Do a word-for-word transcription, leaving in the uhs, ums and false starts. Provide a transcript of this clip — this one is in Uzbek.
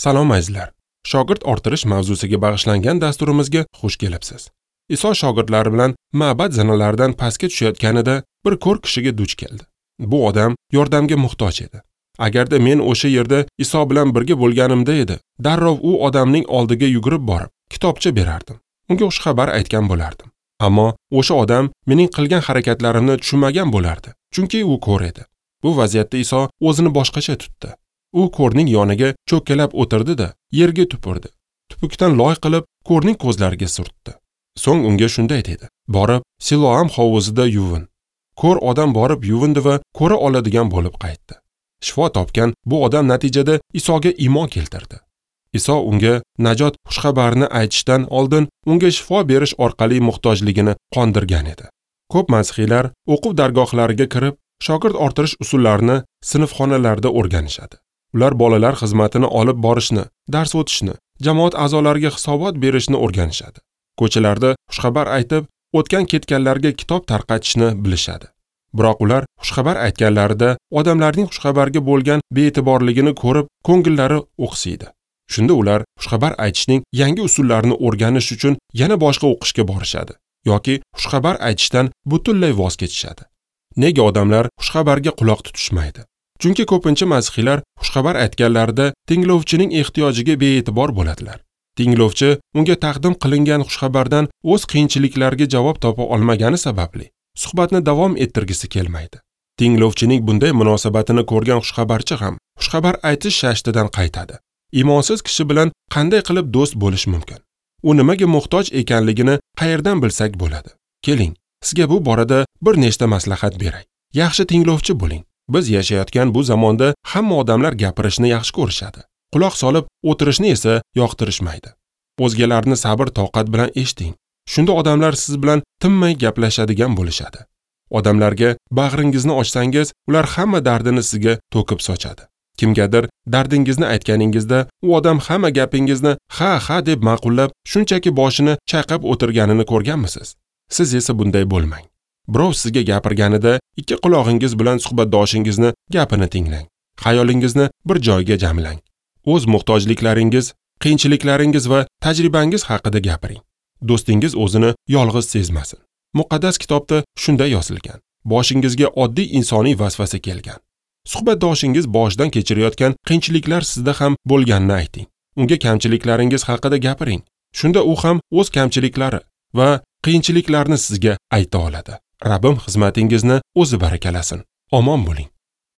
Salom azizlar. Shogird orttirish mavzusiga bag'ishlangan dasturimizga xush kelibsiz. Iso shogirdlari bilan ma'bad zinalaridan pastga tushayotganida bir ko'r kishiga duch keldi. Bu odam yordamga muhtoj edi. Agarda men o'sha yerda Iso bilan birga bo'lganimda edi, darrov u odamning oldiga yugurib borib, kitobcha berardim. Unga xushxabar aytgan bo'lardim. Ammo o'sha odam mening qilgan harakatlarimni tushunmagan bo'lardi, chunki u ko'r edi. Bu vaziyatda Iso o'zini boshqacha tutdi. U ko'rning yoniga cho'kkalab o'tirdi-da, yerga tupurdi. Tupukdan loy qilib, ko'rning ko'zlariga surtdi. So'ng unga shunday dedi: "Borib, Siloam hovuzida yuvin." Ko'r odam borib yuvindi va ko'ra oladigan bo'lib qaytdi. Shifo topgan bu odam natijada Isoga iymon keltirdi. Iso unga najot xushxabarini aytishdan oldin unga shifo berish orqali muhtojligini qondirgan edi. Ko'p masihiylar o'quv dargohlariga kirib, shogird orttirish usullarini sinfxonalarda o'rganishadi. Ular bolalar xizmatini olib borishni, dars o'tishni, jamoat a'zolariga hisobot berishni o'rganishadi. Ko'chalarda xushxabar aytib, o'tgan ketganlarga kitob tarqatishni bilishadi. Biroq ular xushxabar aytganlarida odamlarning xushxabarga bo'lgan be'tiborligini ko'rib, ko'ngillari o'qsiydi. Shunda ular xushxabar aytishning yangi usullarini o'rganish uchun yana boshqa o'qishga borishadi yoki xushxabar aytishdan butunlay voz kechishadi. Nega odamlar xushxabarga quloq tutishmaydi? Chunki ko'pincha masihiylar xushxabar aytganlarida tinglovchining ehtiyojiga be'tibor bo'ladilar. Tinglovchi unga taqdim qilingan xushxabardan o'z qiyinchiliklariga javob topa olmagani sababli suhbatni davom ettirgisi kelmaydi. Tinglovchining bunday munosabatini ko'rgan xushxabarchi ham xushxabar aytish shashtidan qaytadi. Iymonsiz kishi bilan qanday qilib do'st bo'lish mumkin? U nimaga muhtoj ekanligini qayerdan bilsak bo'ladi? Keling, sizga bu borada bir nechta maslahat beray. Yaxshi tinglovchi bo'ling. Biz yashayotgan bu zamonda hamma odamlar gapirishni yaxshi ko'rishadi. Quloq solib o'tirishni esa yoqtirishmaydi. O'zgalarni sabr toqat bilan eshiting. Shunda odamlar siz bilan tinmay gaplashadigan bo'lishadi. Odamlarga bag'ringizni ochsangiz, ular hamma dardini sizga to'kib sochadi. Kimgadir dardingizni aytganingizda, u odam hamma gapingizni ha ha deb ma'qullab, shunchaki boshini chayqab o'tirganini ko'rganmisiz? Siz esa bunday bo'lmang. Birov sizga gapirganida ikki qulog'ingiz bilan suhbatdoshingizni gapini tinglang. Xayolingizni bir joyga jamlang. O'z muhtojliklaringiz, qiyinchiliklaringiz va tajribangiz haqida gapiring. Do'stingiz o'zini yolg'iz sezmasin. Muqaddas kitobda shunday yozilgan: boshingizga oddiy insoniy vasvasa kelgan. Suhbatdoshingiz boshidan kechirayotgan qiyinchiliklar sizda ham bo'lganini ayting. Unga kamchiliklaringiz haqida gapiring. Shunda u ham o'z kamchiliklari va qiyinchiliklarni sizga ayta oladi. Rabbim xizmatingizni o'zi barakalasin. Omon bo'ling.